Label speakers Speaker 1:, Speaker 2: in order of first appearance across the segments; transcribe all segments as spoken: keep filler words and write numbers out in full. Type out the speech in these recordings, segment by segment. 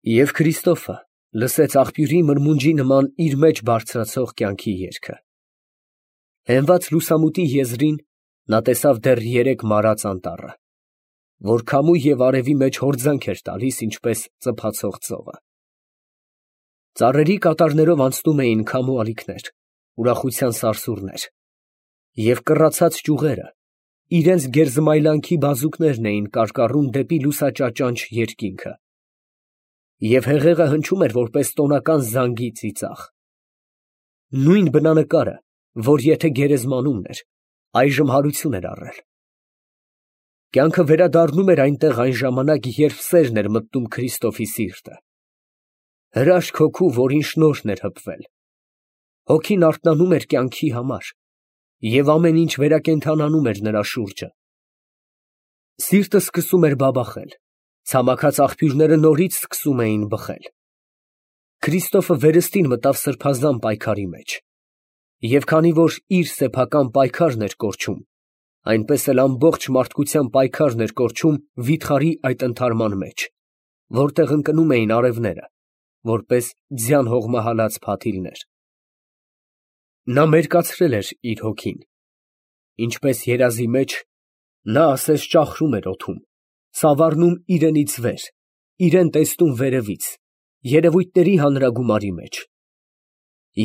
Speaker 1: Եվ Քրիստոֆը լսեց աղբյուրի մրմունջի նման իր մեջ բարձրացող կյանքի երգը։ Հենված լուսամուտի եզրին նա տեսավ դեռ երեք մարած անտառը, որ քամու և արևի մեջ հորձանք էր տալիս, ինչպես ծփացող ծովը։ Ծառերի կատարներով անցնում էին քամու ալիքներ, ուրախության սարսուռներ, և կռացած ճյուղերը իրենց գերզմայլանքի բազուկներն էին կարկառում դեպի լուսաճաճանչ երկինքը, և հեղեղը հնչում էր որպես տոնական զանգի ծիծաղ։ Նույն բնանկարը, որ եթե գերեզմանումն էր, այժմ հարություն էր առել։ Կյանքը վերադառնում էր այնտեղ այն ժամանակ, երբ սերն էր մտնում Քրիստոֆի սիրտը, հրաշք հոգու, որին շնորհն էր հպվել։ Հոգին արթնանում էր կյանքի համար, և ամեն ինչ վերակենդանանում էր նրա շուրջը։ Սիրտը սկսում էր բաբախել, ցամաքած աղբյուրները նորից սկսում էին բխել։ Քրիստոֆը վերստին մտավ սրբազան պայքարի մեջ, և քանի որ իր սեփական պայքարն էր կորչում, այնպես էլ ամբողջ մարդկության պայքարն էր կորչում վիթխարի այդ ընդհարման մեջ, որտեղ ընկնում էին արևները, որպես ձյան հողմահալած փաթիլներ։ Նա մերկացրել էր իր հոգին, ինչպես երազի մեջ, նա ասես ճախրում էր օդում, սավառնում իրենից վեր, իրան տեսնում վերևից, երևույթների հանրագումարի մեջ,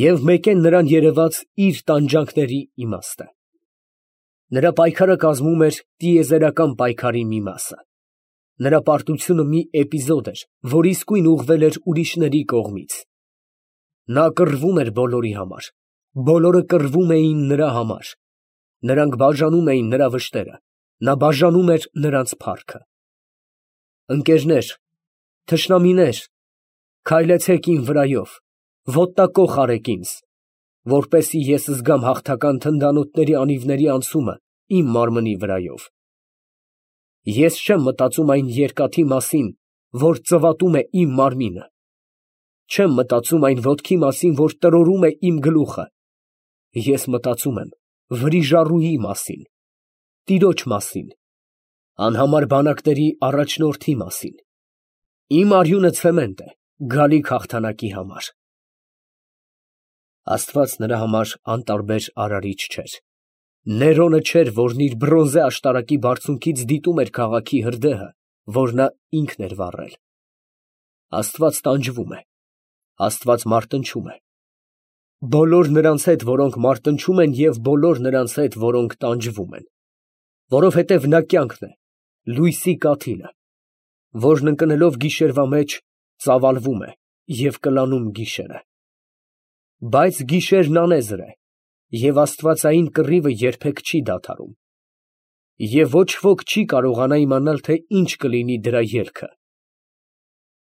Speaker 1: և մեկեն նրան երևաց իր տանջանքների իմաստը։ Նրա պայքարը կազմում էր տիեզերական պայքարի մի մասը։ Նրա պարտությունը մի էպիզոդ էր, որ իսկույն ուղղվել էր ուրիշների կողմից։ Նա կռվում էր բոլորի համար, բոլորը կռվում էին նրա համար, նրանք բաժանում էին նրա վշտերը, նա բաժանում էր նրանց փառքը։ Ընկերներ, թշնամիներ, քայլեցեք իմ վրայով, ոտնակոխ արեք ինձ, որպեսզի ես զգամ հաղթական թնդանոթների անիվների անցումը իմ մարմնի վրայով։ Ես չեմ մտածում այն երկաթի մասին, որ ծվատում է իմ մարմինը, չեմ մտածում այն ոտքի մասին, որ տրորում է իմ գլուխը, ես մտածում եմ վրիժառուի մասին, տիրոջ մասին, անհամար բանակների առաջնորդի մասին։ Իմ արյունը ցեմենտ է գալիք հաղթանակի համար։ Աստված նրա համար անտարբեր արարիչ չէր։ Ներոնը չէր, որն իր բրոնզե աշտարակի բարձունքից դիտում էր քաղաքի հրդեհը, որ նա ինքն էր վառել։ Աստված տանջվում է, Աստված մարտնչում է։ Բոլոր նրանց հետ, որոնք մարտնչում են, և բոլոր նրանց հետ, որոնք տանջվում են, որովհետև նա կյանքն է, լույսի կաթիլը, որն ընկնելով գիշերվա մեջ, ծավալվում է և կլանում գիշերը։ Բայց գիշերն անեզր է, և աստվածային կռիվը երբեք չի դադարում, և ոչ ոք չի կարողանա իմանալ, թե ինչ կլինի դրա ելքը։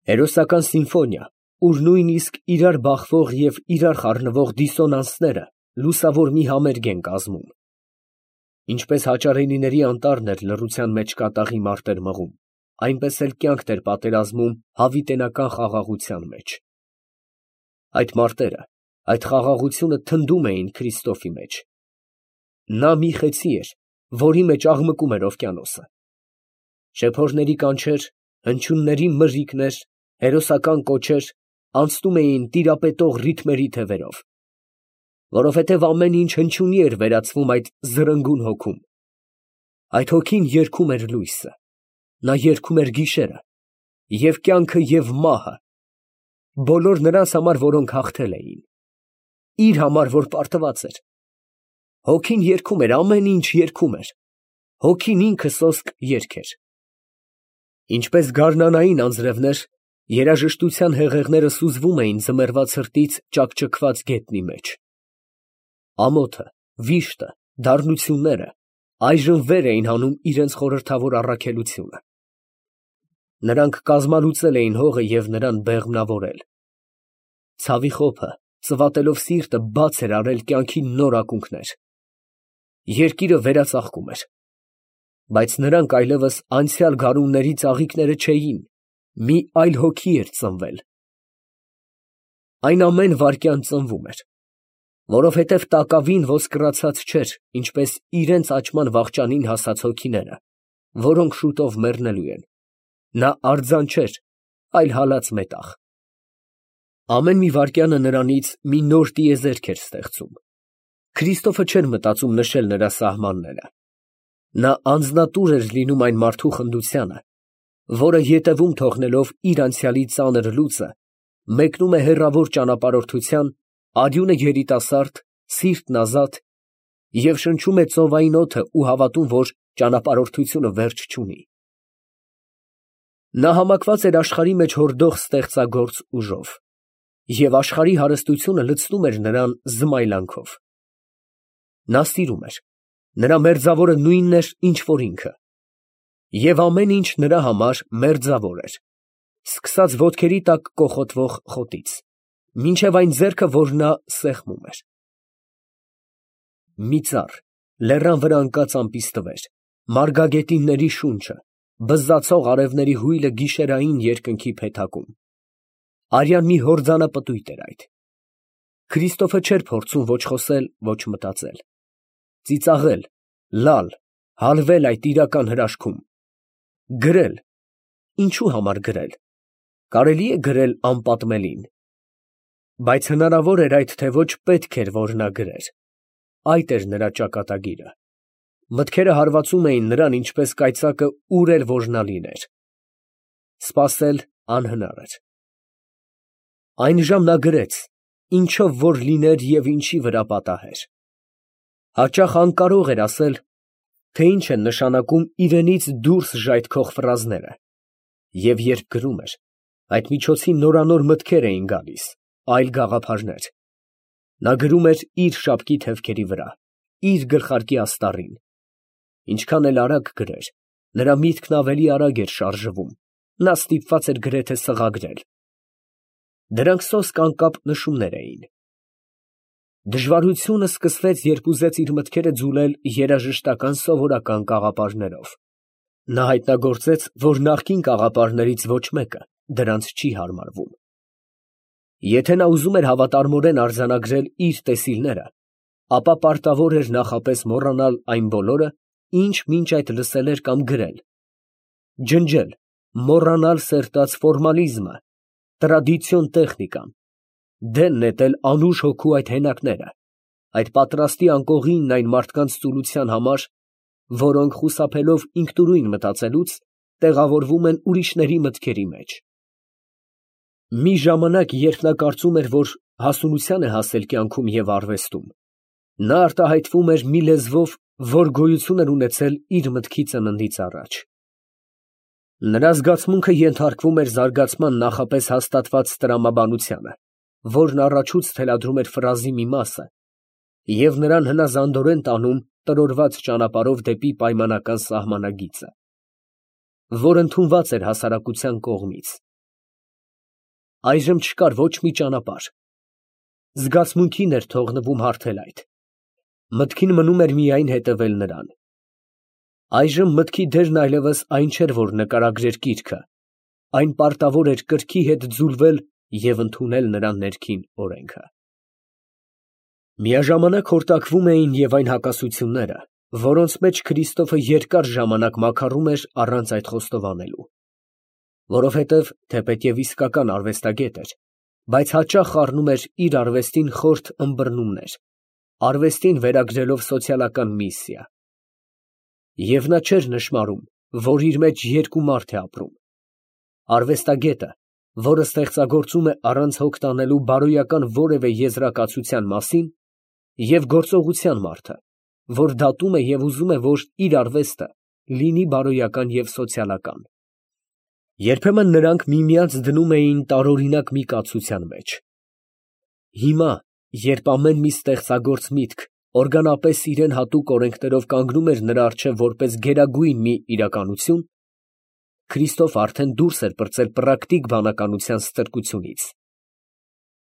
Speaker 1: Հերոսական սիմֆոնիա, ուր նույնիսկ իրար բախվող և իրար խառնվող դիսոնանսները լուսավոր մի համերգ են կազմում։ Ինչպես հաճարենիների անտառն էր լռության մեջ կատաղի մարտեր մղում, այնպես էլ կյանքն էր պատերազմում հավիտենական խաղաղության մեջ։ Այդ մարտերը, այդ խաղաղությունը թնդում էին Քրիստոֆի մեջ։ Նա մի խեցի էր, որի մեջ աղմկում էր օվկիանոսը։ Շեփորների կանչեր, հնչյունների մրրիկներ, հերոսական կոչեր անցնում էին տիրապետող ռիթմերի թևերով, որովհետև ամեն ինչ հնչյունի էր վերածվում այդ զրնգուն հոգում։ Այդ հոգին երգում էր լույսը, նա երգում էր գիշերը, և կյանքը և մահը, բոլոր նրանց համար, որոնք հաղթել էին, իր համար, որ պարտված էր։ Հոգին երգում էր, ամեն ինչ երգում էր, հոգին ինքը սոսկ երգ էր։ Ինչպես գարնանային անձրևներ, երաժշտության հեղեղները սուզվում էին ձմեռվա ցրտից ճաքճքված գետնի մեջ։ Ամոթը, վիշտը, դառնությունները այժմ վեր էին հանում իրենց խորհրդավոր առաքելությունը։ Նրանք կազմալուծել էին հողը և նրան բեղմնավորել։ Ցավի խոփը, ծվատելով սիրտը, բաց էր արել կյանքի նոր ակունքներ։ Երկիրը վերածաղկում էր։ Բայց նրանք այլևս անցյալ գարունների ծաղիկները չէին, մի այլ հոգի էր ծնվել։ Այն ամեն վայրկյան ծնվում էր, որովհետև տակավին ոսկրացած չէր, ինչպես իրենց աճման վախճանին հասած հոգիները, որոնք շուտով մեռնելու են։ Նա արձան չէր, այլ հալած մետաղ։ Ամեն մի վայրկյանը նրանից մի նոր տիեզերք էր ստեղծում։ Քրիստոֆը չէր մտածում նշել նրա սահմանները։ Նա անձնատուր էր լինում այն մարդու խնդությանը, որը ետևում թողնելով իր անցյալի ծանր լուծը, մեկնում է հեռավոր ճանապարհորդության, արյունը երիտասարդ, սիրտն ազատ և շնչում է ծովային օդը ու հավատում, որ ճանապարհորդությունը վերջ չունի։ Նա համակված էր աշխարհի մեջ հորդող ստեղծագործ ուժով, և աշխարհի հարստությունը լցնում էր նրան զմայլանքով։ Նա սիրում էր, նրա մերձավորը նույնն էր, ինչ որ ինքը, և ամեն ինչ նրա համար մերձավոր էր, սկսած ոտքերի տակ կոխոտվող խոտից, մինչև այն ձեռքը, որ նա սեղմում էր։ Մի ծառ, լեռան վրա ընկած ամպիսթվեր, մարգագետինների շունչը, բզզացող արևների հույլը գիշերային երկնքի փեթակում։ Արյան մի հորձանապտույտ էր այդ։ Քրիստոֆը չէր փորձում ոչ խոսել, ոչ մտածել, ծիծաղել, լալ, հալվել այդ իրական հրաշքում, գրել, ինչու համար գրել, կարելի է գրել անպատմելին, բայց հնարավոր էր այդ թե ոչ պետք էր, որ նա գրեր, այդ էր նրա ճակատագիրը, մտքերը հարվածում էին նրան, ինչպես կայծակը ուր էլ որ նա լիներ, սպասել անհնար էր։ Այն ժամ նա գրեց, ինչով որ լիներ և ինչի վրա պատահեր։ Հաճախ անկարող էր ասել, թե ինչ են նշանակում իրենից դուրս ժայթքող ֆրազները, և երբ գրում էր, այդ միջոցին նորանոր մտքեր էին գալիս, այլ գաղափարներ։ Նա գրում էր իր շապկի թևքերի վրա, իր գլխարկի աստառին։ Ինչքան էլ արագ գրեր, նրա միտքն ավելի արագ էր շարժվում, նա ստիպված էր գրեթե սղագրել։ Դրանք սոսկ անկապ նշումներ էին։ Դժվարությունը սկսվեց, երբ ուզեց իր մտքերը ձուլել երաժշտական սովորական կաղապարներով։ Նա հայտնագործեց, որ նախկին կաղապարներից ոչ մեկը դրանց չի հարմարվում։ Եթե նա ուզում էր հավատարմորեն արձանագրել իր տեսիլները, ապա պարտավոր էր նախապես մոռանալ այն բոլորը, ինչ մինչ այդ լսել էր կամ գրել, ջնջել, մոռանալ սերտած ֆորմալիզմը, տրադիցիոն տեխնիկան, դեն նետել անուշ հոգու այդ հենակները, այդ պատրաստի անկողինն այն մարդկանց ծուլության համար, որոնք խուսափելով ինքնուրույն մտածելուց, տեղավորվում են ուրիշների մտքերի մեջ։ Մի ժամանակ, երբ նա կարծում էր, որ հասունության է հասել կյանքում և արվեստում, նա արտահայտվում էր մի լեզվով, որ գոյություն էր ունեցել իր մտքի ծննդից առաջ։ Նրա զգացմունքը ենթարկվում էր զարգացման նախապես հաստատված տրամաբանությանը, որն առաջուց թելադրում էր ֆրազի մի մասը և նրան հնազանդորեն տանում տրորված ճանապարհով դեպի պայմանական սահմանագիծը, որ ընդունված էր հասարակության կողմից։ Այժմ չկար ոչ մի ճանապարհ։ Զգացմունքին էր թողնվում հարթել այդ։ Մտքին մնում էր միայն հետևել նրան։ Այժմ մտքի դերն այլևս այն չէր, որ նկարագրեր գիրքը, այն պարտավոր էր կրքի հետ ձուլվել և ընդունել նրա ներքին օրենքը։ Միաժամանակ հորտակվում էին և այն հակասությունները, որոնց մեջ Քրիստոֆը երկար ժամանակ մաքարում էր առանց այդ խոստովանելու, որովհետև թեպետև իսկական արվեստագետ էր, բայց հաճախ առնում էր իր արվեստին խորթ ըմբռնումներ, արվեստին վերագրելով սոցիալական միսիա։ Եվ նա չէր նշմարում, որ իր մեջ երկու մարդ է ապրում. արվեստագետը, որը ստեղծագործում է առանց հոգ տանելու բարոյական որևէ եզրակացության մասին, և գործողության մարդը, որ դատում է և ուզում է, որ իր արվեստը լինի բարոյական և սոցիալական։ Երբեմն նրանք միմյանց դնում էին տարօրինակ մի կացության մեջ։ Հիմա, երբ ամեն մի ստեղծագործ միտք օրգանապես իրան հատուկ օրենքներով կանգնում էր նրա առջև որպես գերագույն մի իրականություն, Քրիստոֆը արդեն դուրս էր պրծել պրակտիկ բանականության ստրկությունից։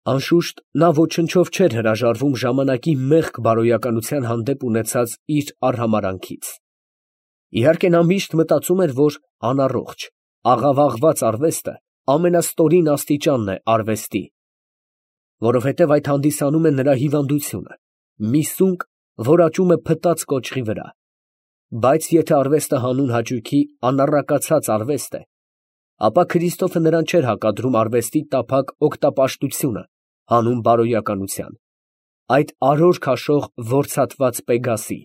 Speaker 1: Անշուշտ, նա ոչնչով չէր հրաժարվում ժամանակի մեղք բարոյականության հանդեպ ունեցած իր արհամարհանքից։ Իհարկե, նա միշտ մտածում էր, որ անառողջ, աղավաղված արվեստը ամենաստորին աստիճանն է արվեստի, որովհետև այդ հանդիսանում է նրա հիվանդությունը, մի սունկ, որ աճում է փտած կոճղի վրա, բայց եթե արվեստը հանուն հաճույքի անառակացած արվեստ է, Ապա Քրիստոֆը նրան չէր հակադրում արվեստի տափակ օգտապաշտությունը հանուն բարոյականության, այդ արօր քաշող որցատված Պեգասի։